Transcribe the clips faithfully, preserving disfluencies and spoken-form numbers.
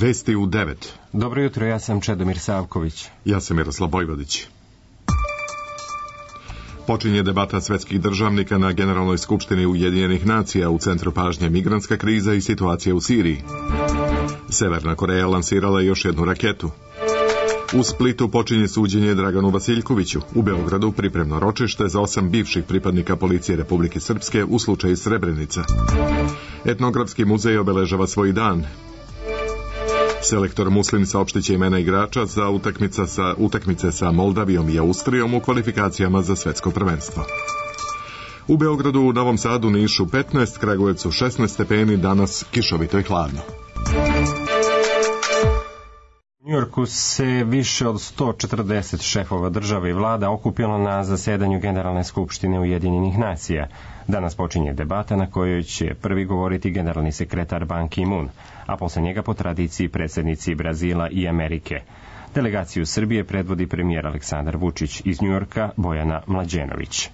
Vesti u devet. Dobro jutro, ja sam Čedomir Savković. Ja sam Miroslav Bojvodić. Počinje debata svetskih državnika na Generalnoj skupštini Ujedinjenih nacija, u centru pažnje migrantska kriza i situacija u Siriji. Severna Koreja lansirala još jednu raketu. U Splitu počinje suđenje Draganu Vasiljkoviću. U Beogradu pripremno ročište za osam bivših pripadnika policije Republike Srpske u slučaju Srebrenica. Etnografski muzej obeležava svoj dan. Selektor Muslin saopštiće imena igrača za utakmica sa, utakmice sa Moldavijom i Austrijom u kvalifikacijama za svetsko prvenstvo. U Beogradu, u Novom Sadu, Nišu petnaest, Kragujevcu šesnaest stepeni, danas kišovito i hladno. U Njujorku se više od sto četrdeset šefova država i vlada okupilo na zasedanju Generalne skupštine Ujedinjenih nacija. Danas počinje debata na kojoj će prvi govoriti generalni sekretar Ban Ki-moon, a posle njega po tradiciji predsjednici Brazila i Amerike. Delegaciju Srbije predvodi premijer Aleksandar Vučić, iz Njujorka Bojana Mlađenović.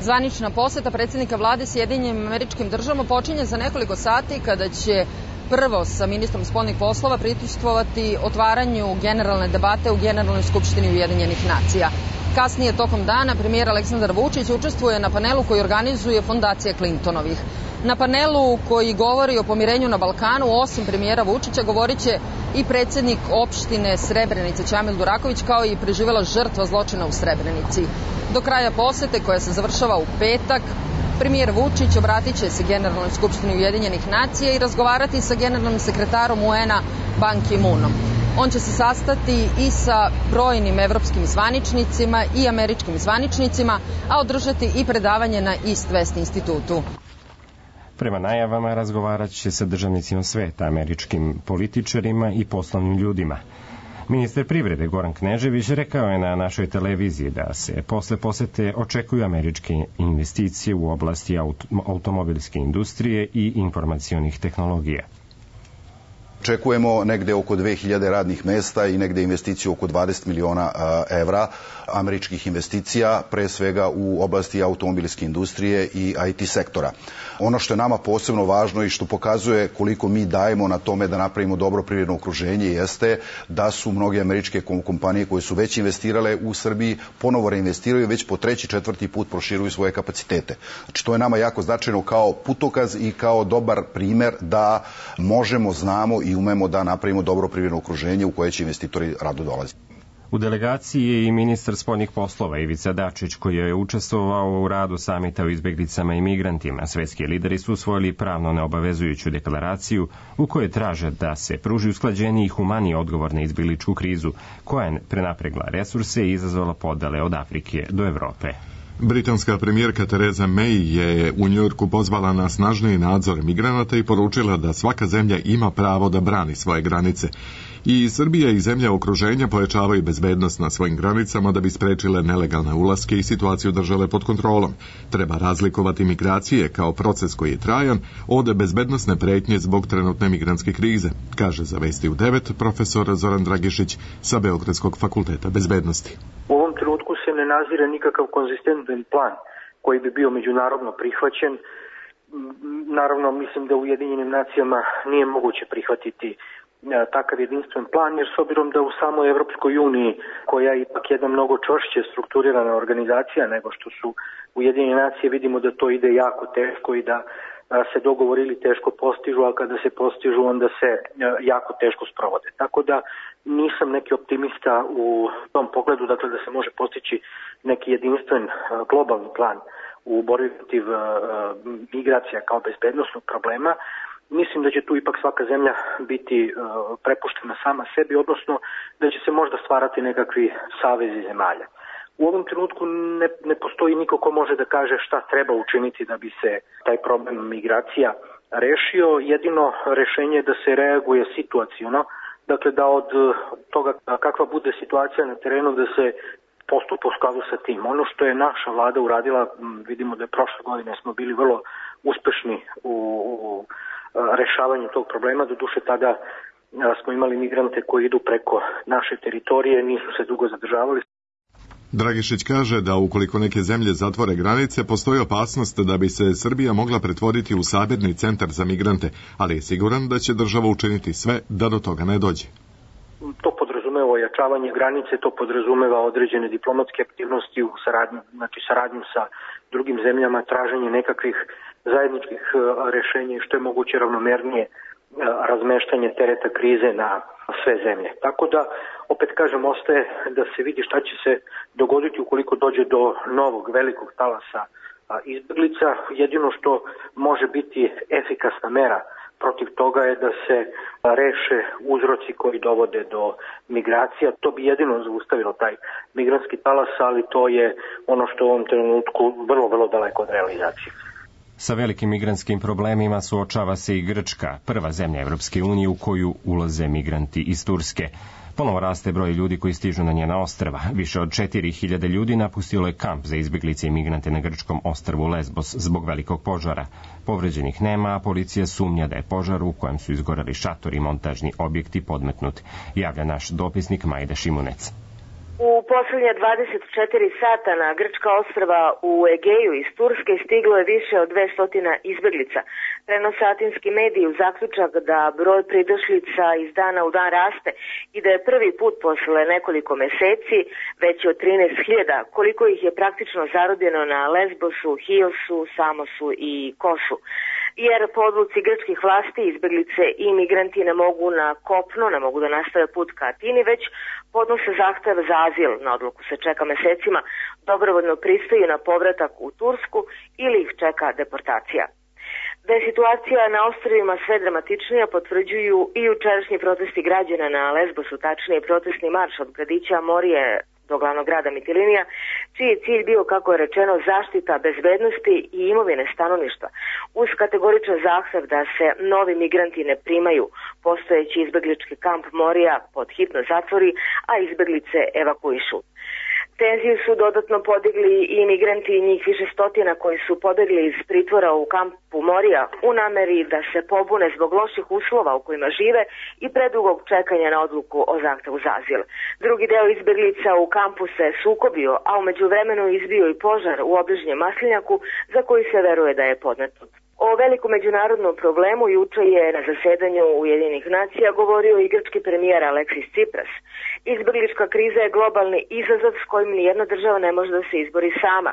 Zvanična poseta predsjednika vlade Sjedinjenim Američkim Državama počinje za nekoliko sati kada će prvo sa ministrom spoljnih poslova prisustvovati otvaranju generalne debate u Generalnoj skupštini Ujedinjenih nacija. Kasnije tokom dana premijer Aleksandar Vučić učestvuje na panelu koji organizuje Fondacija Clintonovih. Na panelu koji govori o pomirenju na Balkanu, osim premijera Vučića, govorit će i predsjednik opštine Srebrenice Ćamil Duraković, kao i preživela žrtva zločina u Srebrenici. Do kraja posete, koja se završava u petak, premijer Vučić obratit će se Generalnoj skupštini Ujedinjenih nacija i razgovarati sa generalnim sekretarom U N-a Ban Ki-moonom. On će se sastati i sa brojnim evropskim zvaničnicima i američkim zvaničnicima, a održati i predavanje na East West institutu. Prema najavama razgovarat će sa državnicima sveta, američkim političarima i poslovnim ljudima. Ministar privrede Goran Knežević rekao je na našoj televiziji da se posle posete očekuju američke investicije u oblasti automobilske industrije i informacionih tehnologija. Očekujemo negde oko dve hiljade radnih mesta i negde investiciju oko dvadeset miliona evra američkih investicija, pre svega u oblasti automobilske industrije i I T sektora. Ono što je nama posebno važno i što pokazuje koliko mi dajemo na tome da napravimo dobro privredno okruženje jeste da su mnoge američke kompanije koje su već investirale u Srbiji ponovo reinvestiraju, već po treći, četvrti put proširuju svoje kapacitete. Znači to je nama jako značajno kao putokaz i kao dobar primer da možemo, znamo i umemo da napravimo dobro privredno okruženje u koje će investitori rado dolaziti. U delegaciji je i ministar spoljnih poslova Ivica Dačić, koji je učestvovao u radu samita o izbeglicama i migrantima. Svetski lideri su usvojili pravno neobavezujuću deklaraciju u kojoj traže da se pruži usklađeniji i humaniji odgovor na izbegličku krizu, koja je prenapregla resurse i izazvala podele od Afrike do Evrope. Britanska premijerka Theresa May je u Njujorku pozvala na snažniji nadzor migranata i poručila da svaka zemlja ima pravo da brani svoje granice. I Srbija i zemlje okruženja pojačavaju bezbednost na svojim granicama da bi sprečile nelegalne ulaske i situaciju držale pod kontrolom. Treba razlikovati migracije kao proces koji je trajan od bezbednosne pretnje zbog trenutne migrantske krize, kaže za Vesti u devet profesor Zoran Dragišić sa Beogradskog fakulteta bezbednosti. U ovom trenutku se ne nazire nikakav konzistentan plan koji bi bio međunarodno prihvaćen. Naravno, mislim da u Ujedinjenim nacijama nije moguće prihvatiti takav jedinstven plan, jer s obzirom da u samoj Evropskoj uniji, koja je ipak jedna mnogo čvršće strukturirana organizacija nego što su Ujedinjene nacije, vidimo da to ide jako teško i da se dogovori teško postižu, a kada se postižu onda se jako teško sprovode. Tako da nisam neki optimista u tom pogledu, dakle da se može postići neki jedinstven globalni plan u borbi protiv migracija kao bezbednosnog problema. Mislim da će tu ipak svaka zemlja biti uh, prepuštena sama sebi, odnosno da će se možda stvarati nekakvi savezi zemalja. U ovom trenutku ne, ne postoji niko ko može da kaže šta treba učiniti da bi se taj problem migracija rešio. Jedino rešenje je da se reaguje situaciono, dakle da od toga kakva bude situacija na terenu da se postupa u skladu sa tim. Ono što je naša vlada uradila, vidimo da je prošle godine smo bili vrlo uspešni u, u rešavanju tog problema, doduše tada smo imali migrante koji idu preko naše teritorije, nisu se dugo zadržavali. Dragišić kaže da ukoliko neke zemlje zatvore granice, postoji opasnost da bi se Srbija mogla pretvoriti u sabirni centar za migrante, ali je siguran da će država učiniti sve da do toga ne dođe. To podrazumeva ojačavanje granice, to podrazumeva određene diplomatske aktivnosti u saradnju, znači saradnju sa drugim zemljama, traženje nekakvih zajedničkih rešenja i što je moguće ravnomernije razmeštanje tereta krize na sve zemlje. Tako da, opet kažem, ostaje da se vidi šta će se dogoditi ukoliko dođe do novog velikog talasa izbeglica. Jedino što može biti efikasna mera protiv toga je da se reše uzroci koji dovode do migracija. To bi jedino zaustavilo taj migrantski talas, ali to je ono što u ovom trenutku vrlo, vrlo daleko od realizacije. Sa velikim migrantskim problemima suočava se i Grčka, prva zemlja Evropske unije u koju ulaze migranti iz Turske. Ponovo raste broj ljudi koji stižu na njena ostrva. Više od četiri hiljade ljudi napustilo je kamp za izbjeglice i migrante na grčkom ostrvu Lesbos zbog velikog požara. Povređenih nema, a policija sumnja da je požar u kojem su izgoreli šatori i montažni objekti podmetnut, javlja naš dopisnik Majda Šimunec. U poslednje dvadeset četiri sata na grčka ostrva u Egeju iz Turske stiglo je više od dvesta izbeglica. Prenose atinski mediji u zaključak da broj pridošlica iz dana u dan raste i da je prvi put posle nekoliko meseci veći od trinaest hiljada, koliko ih je praktično zarobljeno na Lesbosu, Hiosu, Samosu i Kosu. Jer po odluci grčkih vlasti izbeglice i migranti ne mogu na kopno, ne mogu da nastave put ka Atini, već podnose zahtev za azil. Na odluku se čeka mesecima, dobrovoljno pristaju na povratak u Tursku ili ih čeka deportacija. Da je situacija na ostrvima sve dramatičnija potvrđuju i jučerašnji protesti građana na Lesbosu, tačnije protestni marš od gradića Morije do glavnog grada Mitilinija, čiji je cilj bio, kako je rečeno, zaštita bezbednosti i imovine stanovništva, uz kategoričan zahtev da se novi migranti ne primaju, postojeći izbeglički kamp Morija pod hitno zatvori, a izbeglice evakuišu. Tenziju su dodatno podigli i migranti i njih više stotina koji su pobegli iz pritvora u kampu Morija u nameri da se pobune zbog loših uslova u kojima žive i predugog čekanja na odluku o zahtevu za azil. Drugi deo izbeglica u kampu se sukobio, a u međuvremenu izbio i požar u obližnjem maslinjaku za koji se veruje da je podmetnut. O velikom međunarodnom problemu juče je na zasedanju Ujedinjenih nacija govorio i grčki premijer Aleksis Tsipras. Izbeglička kriza je globalni izazov s kojim nijedna država ne može da se izbori sama.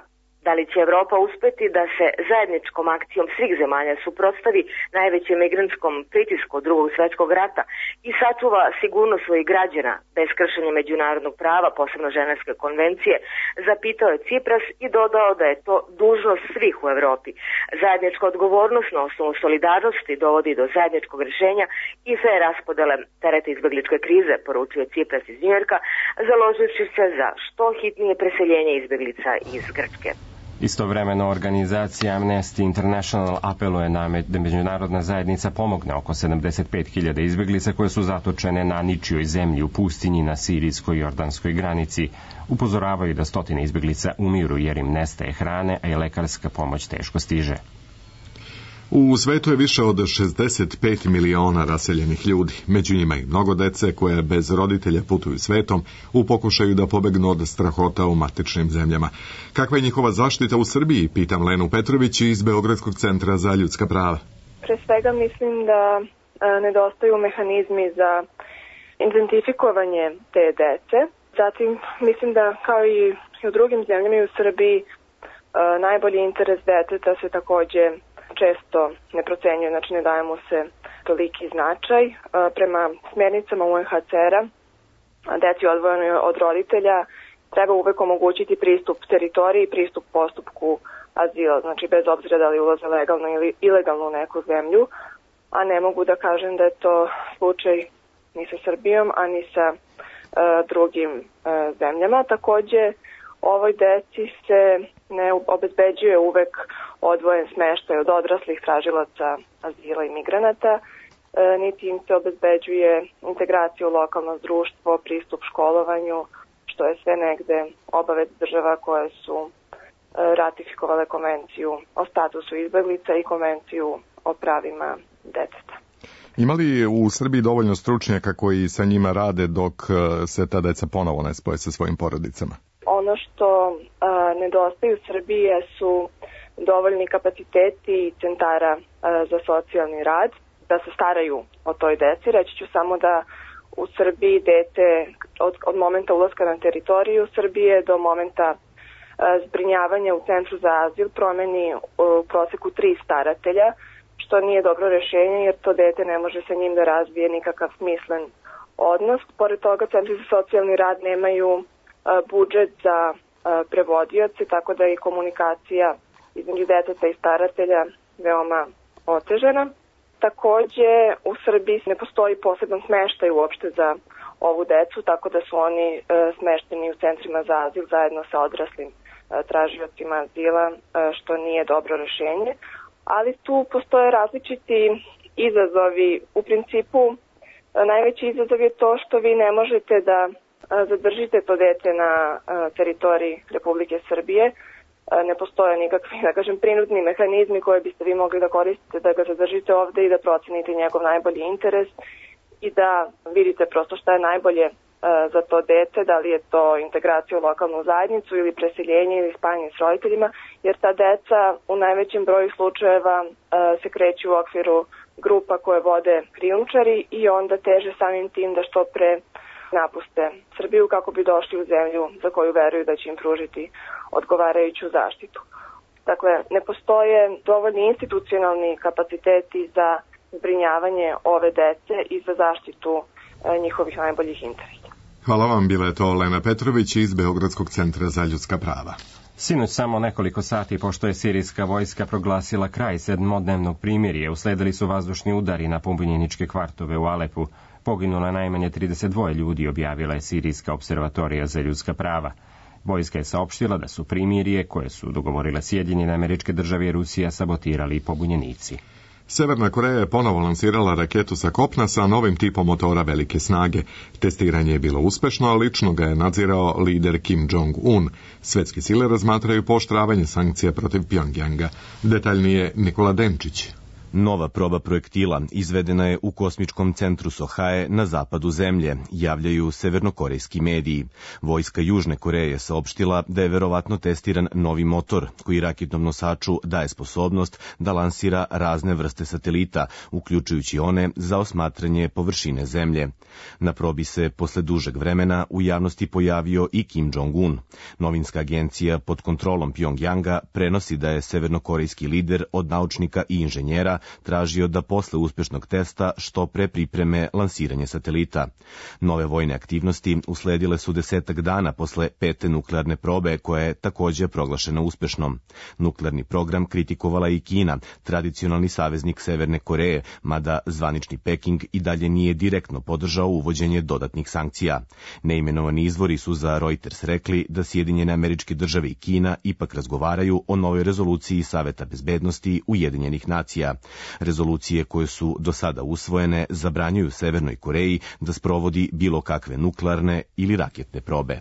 Da li će Evropa uspeti da se zajedničkom akcijom svih zemalja suprotstavi najvećem migrantskom pritisku od drugog svjetskog rata i sačuva sigurnost svojih građana bez kršenja međunarodnog prava, posebno Ženevske konvencije, zapitao je Tsipras i dodao da je to dužnost svih u Evropi. Zajednička odgovornost na osnovu solidarnosti dovodi do zajedničkog rješenja i fer raspodele tereta izbegličke krize, poručio Tsipras iz Njujorka, založivši se za što hitnije preseljenje izbeglica iz Grčke. Istovremeno, organizacija Amnesty International apeluje na da međunarodna zajednica pomogne oko sedamdeset pet hiljada izbeglica koje su zatočene na ničijoj zemlji u pustinji na sirijsko-jordanskoj granici. Upozoravaju da stotine izbeglica umiru jer im nestaje hrane, a i lekarska pomoć teško stiže. U svetu je više od šezdeset pet miliona raseljenih ljudi, među njima i mnogo dece koje bez roditelja putuju svetom u pokušaju da pobegnu od strahota u matičnim zemljama. Kakva je njihova zaštita u Srbiji, pitam Lenu Petrović iz Beogradskog centra za ljudska prava. Pre svega mislim da a, nedostaju mehanizmi za identifikovanje te dece. Zatim mislim da kao i u drugim zemljama i u Srbiji a, najbolji interes deteta se takođe često ne procenjuje, znači ne daje mu se toliki značaj. Prema smjernicama U N H C R-a, deci odvojenoj od roditelja treba uvek omogućiti pristup teritoriji i pristup postupku azila, znači bez obzira da li ulaze legalno ili ilegalno u neku zemlju, a ne mogu da kažem da je to slučaj ni sa Srbijom, a ni sa uh, drugim uh, zemljama. Takođe, ovoj deci se ne obezbeđuje uvek odvojen smeštaj od odraslih tražilaca azila i migranata, e, niti im se obezbeđuje integracija u lokalno društvo, pristup školovanju, što je sve negde obavez država koje su e, ratifikovale konvenciju o statusu izbeglica i konvenciju o pravima deteta. Ima li u Srbiji dovoljno stručnjaka koji sa njima rade dok se ta deca ponovo ne spoje sa svojim porodicama? Ono što a, nedostaje u Srbiji su dovoljni kapaciteti centara a, za socijalni rad da se staraju o toj deci. Reći ću samo da u Srbiji dete od, od momenta ulaska na teritoriju Srbije do momenta a, zbrinjavanja u centru za azil promeni u proseku tri staratelja, što nije dobro rešenje jer to dete ne može sa njim da razvije nikakav smislen odnos. Pored toga, centri za socijalni rad nemaju a, budžet za a, prevodioce, tako da je i komunikacija između deteta i staratelja veoma otežena. Takođe, u Srbiji ne postoji poseban smeštaj uopšte za ovu decu, tako da su oni a, smešteni u centrima za azil zajedno sa odraslim a, tražiocima azila, a, što nije dobro rešenje. Ali tu postoje različiti izazovi. U principu, najveći izazov je to što vi ne možete da zadržite to dete na teritoriji Republike Srbije. Ne postoje nikakvi, da kažem, prinudni mehanizmi koje biste vi mogli da koristite da ga zadržite ovde i da procenite njegov najbolji interes i da vidite prosto šta je najbolje za to dete, da li je to integracija u lokalnu zajednicu ili preseljenje ili spajanje s roditeljima, jer ta deca u najvećem broju slučajeva se kreću u okviru grupa koje vode krijumčari i onda teže samim tim da što pre napuste Srbiju kako bi došli u zemlju za koju veruju da će im pružiti odgovarajuću zaštitu. Dakle, ne postoje dovoljni institucionalni kapaciteti za zbrinjavanje ove dece i za zaštitu njihovih najboljih interesa. Hvala vam, bila je to Lena Petrović iz Beogradskog centra za ljudska prava. Sinoć samo nekoliko sati pošto je sirijska vojska proglasila kraj sedmodnevnog primirja, usledili su vazdušni udari na pobunjeničke kvartove u Alepu. Poginulo je najmanje trideset dva ljudi, objavila je Sirijska observatorija za ljudska prava. Vojska je saopštila da su primirje, koje su dogovorile Sjedinjene Američke Države i Rusija, sabotirali pobunjenici. Severna Koreja je ponovo lansirala raketu sa kopna sa novim tipom motora velike snage. Testiranje je bilo uspešno, a lično ga je nadzirao lider Kim Jong-un. Svetske sile razmatraju pooštravanje sankcija protiv Pjongjanga. Detaljnije Nikola Denčić. Nova proba projektila izvedena je u kosmičkom centru Sohae na zapadu zemlje, javljaju severnokorejski mediji. Vojska Južne Koreje je saopštila da je verovatno testiran novi motor koji raketnom nosaču daje sposobnost da lansira razne vrste satelita, uključujući one za osmatranje površine zemlje. Na probi se posle dužeg vremena u javnosti pojavio i Kim Jong-un. Novinska agencija pod kontrolom Pjongjanga prenosi da je severnokorejski lider od naučnika i inženjera tražio da posle uspešnog testa što pre pripreme lansiranje satelita. Nove vojne aktivnosti usledile su desetak dana posle pete nuklearne probe koja je takođe proglašena uspešnom. Nuklearni program kritikovala i Kina, tradicionalni saveznik Severne Koreje, mada zvanični Peking i dalje nije direktno podržao uvođenje dodatnih sankcija. Neimenovani izvori su za Reuters rekli da Sjedinjene Američke Države i Kina ipak razgovaraju o novoj rezoluciji Saveta bezbednosti Ujedinjenih nacija. Rezolucije koje su do sada usvojene zabranjuju Severnoj Koreji da sprovodi bilo kakve nuklearne ili raketne probe.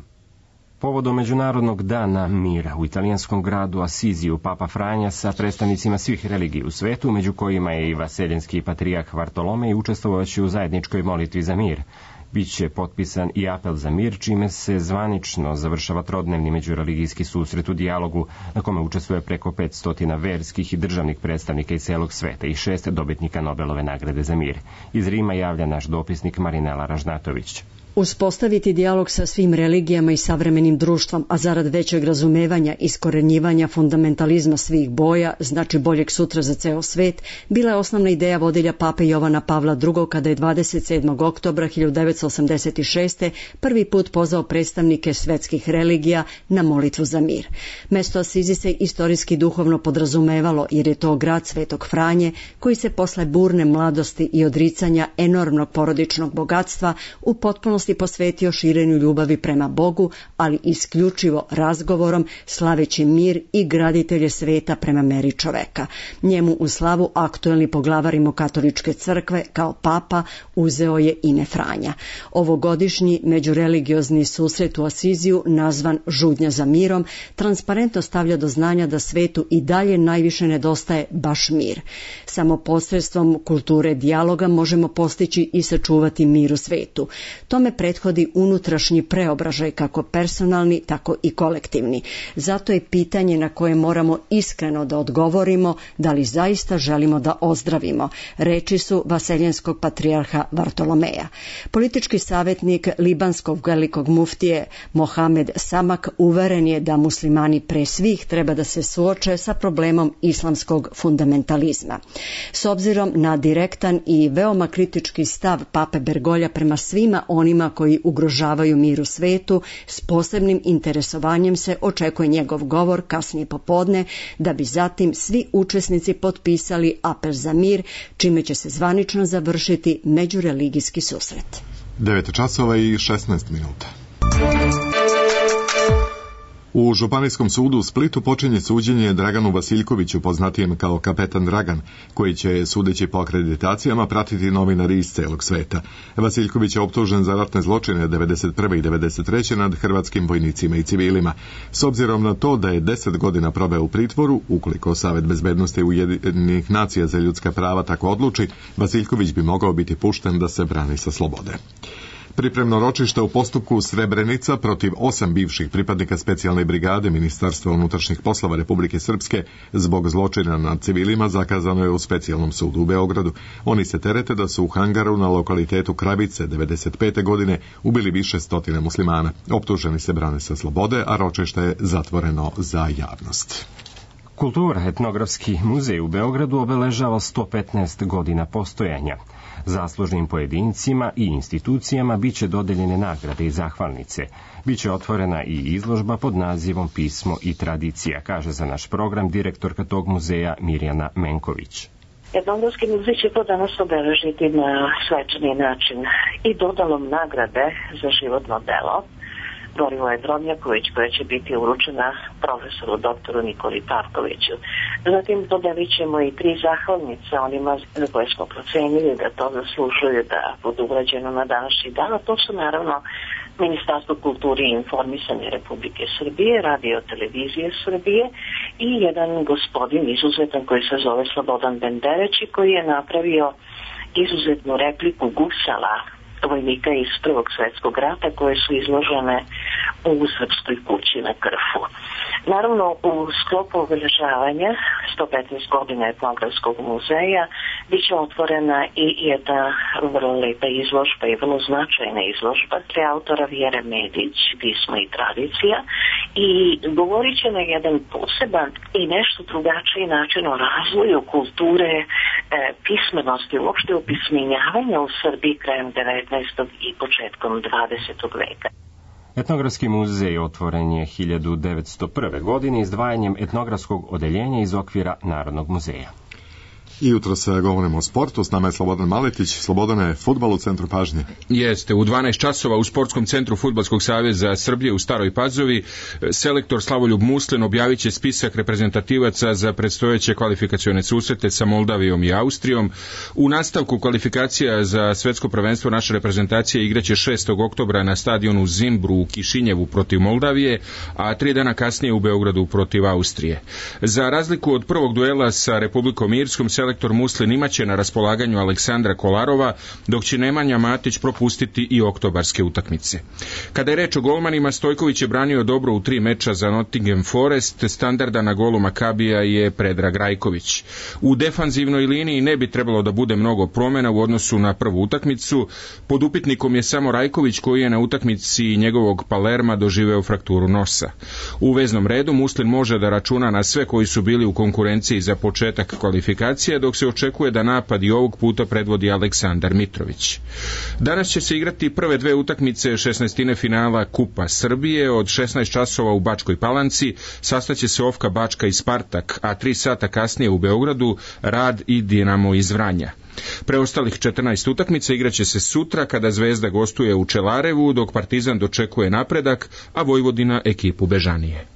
Povodom Međunarodnog dana mira u italijanskom gradu Asiziju Papa Franja sa predstavnicima svih religija u svetu, među kojima je i vaseljenski patrijarh Vartolomej, učestvovajući u zajedničkoj molitvi za mir. Biće potpisan i apel za mir, čime se zvanično završava trodnevni međureligijski susret u dijalogu, na kome učestvuje preko petsto verskih i državnih predstavnika iz celog sveta i šest dobitnika Nobelove nagrade za mir. Iz Rima javlja naš dopisnik Marinela Ražnatović. Uspostaviti dijalog sa svim religijama i savremenim društvom, a zarad većeg razumevanja i iskorenjivanja fundamentalizma svih boja, znači boljeg sutra za ceo svet, bila je osnovna ideja vodilja pape Jovana Pavla drugog. kada je dvadeset sedmog oktobra hiljadu devetsto osamdeset šeste. prvi put pozvao predstavnike svetskih religija na molitvu za mir. Mesto Asizi se istorijski duhovno podrazumevalo jer je to grad Svetog Franje koji se posle burne mladosti i odricanja enormnog porodičnog bogatstva u potpunosti posvetio širenju ljubavi prema Bogu, ali isključivo razgovorom, slaveći mir i graditelje sveta prema meri čoveka. Njemu u slavu aktuelni poglavar Rimokatoličke crkve kao papa uzeo je ime Franja. Ovogodišnji međureligiozni susret u Asiziju, nazvan Žudnja za mirom, transparentno stavlja do znanja da svetu i dalje najviše nedostaje baš mir. Samo posredstvom kulture dijaloga možemo postići i sačuvati mir u svetu. Tome prethodi unutrašnji preobražaj, kako personalni, tako i kolektivni. Zato je pitanje na koje moramo iskreno da odgovorimo da li zaista želimo da ozdravimo. Reči su vaseljenskog patrijarha Vartolomeja. Politički savjetnik libanskog velikog muftije Mohamed Samak uveren je da muslimani pre svih treba da se suoče sa problemom islamskog fundamentalizma. S obzirom na direktan i veoma kritički stav pape Bergolja prema svima onima koji ugrožavaju mir u svetu, s posebnim interesovanjem se očekuje njegov govor kasnije popodne, da bi zatim svi učesnici potpisali apel za mir, čime će se zvanično završiti međureligijski susret. devet časova i šesnaest minuta. U Županijskom sudu u Splitu počinje suđenje Draganu Vasiljkoviću, poznatijem kao Kapetan Dragan, koji će, sudeći po akreditacijama, pratiti novinari iz celog sveta. Vasiljković je optužen za ratne zločine devedeset prve i devedeset treće nad hrvatskim vojnicima i civilima. S obzirom na to da je deset godina proveo u pritvoru, ukoliko Savet bezbednosti Ujedinjenih nacija za ljudska prava tako odluči, Vasiljković bi mogao biti pušten da se brani sa slobode. Pripremno ročište u postupku Srebrenica protiv osam bivših pripadnika specijalne brigade Ministarstva unutrašnjih poslova Republike Srpske zbog zločina nad civilima zakazano je u specijalnom sudu u Beogradu. Oni se terete da su u hangaru na lokalitetu Kravice devedeset pete godine ubili više stotina muslimana. Optuženi se brane sa slobode, a ročište je zatvoreno za javnost. Kultura, etnografski muzej u Beogradu obeležava sto petnaest godina postojanja. Zaslužnim pojedincima i institucijama biće dodeljene nagrade i zahvalnice. Biće otvorena i izložba pod nazivom Pismo i tradicija, kaže za naš program direktorka tog muzeja Mirjana Menković. Etnografski muzej će to danas obeležiti na svečani način i dodalom nagrade za životno delo Borivoje Drobnjaković, koja će biti uručena profesoru doktoru Nikoli Pavkoviću. Zatim dodelit ćemo i tri zahvalnice onima za koje smo procenili da to zaslužuju da budu urađeno na današnji dan, a to su naravno Ministarstvo kulture i informisanja Republike Srbije, Radio televizije Srbije i jedan gospodin izuzetan koji se zove Slobodan Bendereć i koji je napravio izuzetnu repliku gusala vojnika iz Prvog svjetskog rata koje su izložene u Srpskoj kući na Krfu. Naravno, u sklopu obeležavanja sto petnaest godina etnografskog muzeja biće otvorena i jedna vrlo lepa izložba i vrlo značajna izložba tre autora Vjere Medić, Pismo i tradicija, i govorit će na jedan poseban i nešto drugačiji način o razvoju kulture, e, pismenosti, uopšte opismenjavanja u Srbiji krajem devetnaestog i početkom dvadesetog veka. Etnografski muzej otvoren je hiljadu devetsto prve. godine izdvajanjem etnografskog odeljenja iz okvira Narodnog muzeja. I jutro se govorimo o sportu, s nama je Slobodan Maletić. Slobodane, fudbal u centru pažnje. Jeste, u dvanaest časova u Sportskom centru Fudbalskog saveza Srbije u Staroj Pazovi selektor Slavoljub Muslin objavit će spisak reprezentativaca za predstojeće kvalifikacione susrete sa Moldavijom i Austrijom. U nastavku kvalifikacija za svetsko prvenstvo naša reprezentacija igraće šestog oktobra na stadionu Zimbru u Kišinjevu protiv Moldavije, a tri dana kasnije u Beogradu protiv Austrije. Za razliku od prvog duela sa Republikom Irskom, selektor Muslin imaće na raspolaganju Aleksandra Kolarova, dok će Nemanja Matić propustiti i oktobarske utakmice. Kada je reč o golmanima, Stojković je branio dobro u tri meča za Nottingham Forest, standarda na golu Makabija je Predrag Rajković. U defanzivnoj liniji ne bi trebalo da bude mnogo promjena u odnosu na prvu utakmicu. Pod upitnikom je samo Rajković, koji je na utakmici njegovog Palerma doživeo frakturu nosa. U veznom redu Muslin može da računa na sve koji su bili u konkurenciji za početak kvalifikacije, dok se očekuje da napad i ovog puta predvodi Aleksandar Mitrović. Danas će se igrati prve dve utakmice šesnaestine finala Kupa Srbije. Od šesnaest časova u Bačkoj Palanci sastaće se Ofka Bačka i Spartak, a tri sata kasnije u Beogradu Rad i Dinamo iz Vranja. Preostalih četrnaest utakmica igraće se sutra kada Zvezda gostuje u Čelarevu, dok Partizan dočekuje Napredak, a Vojvodina ekipu Bežanije.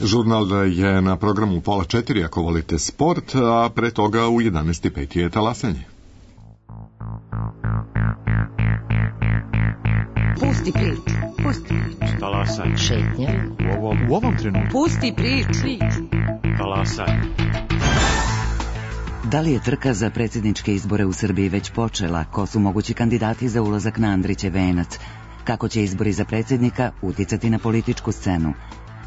Žurnal je na programu pola četiri ako volite sport, a pre toga u jedanaest i pet je talasanje. Pusti priču, pusti priču. Talasanje. Šetnja. U ovom, u ovom trenutku. Pusti priču. Talasanje. Da li je trka za predsjedničke izbore u Srbiji već počela? Ko su mogući kandidati za ulazak na Andrićev venac? Kako će izbori za predsjednika uticati na političku scenu?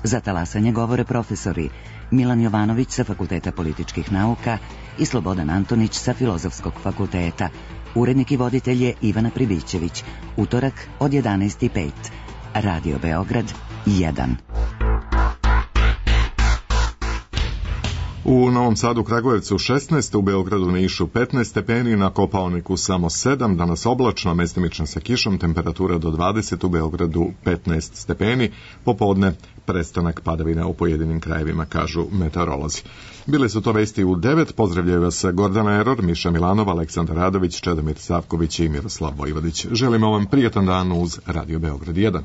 Za talasanje govore profesori Milan Jovanović sa Fakulteta političkih nauka i Slobodan Antonić sa Filozofskog fakulteta. Urednik i voditelj je Ivana Pribićević. Utorak od jedanaest i pet. Radio Beograd jedan. U Novom Sadu, Kragujevcu šesnaest, u Beogradu, Nišu petnaest stepeni, na Kopaoniku samo sedam, danas oblačno, mestimično sa kišom, temperatura do dvadeset, u Beogradu petnaest stepeni, popodne prestanak padavina u pojedinim krajevima, kažu meteorolozi. Bile su to vesti u devet, pozdravljaju vas Gordana Eror, Miša Milanova, Aleksandar Radović, Čedomir Savković i Miroslav Vojvodić. Želimo vam prijatan dan uz Radio Beograd jedan.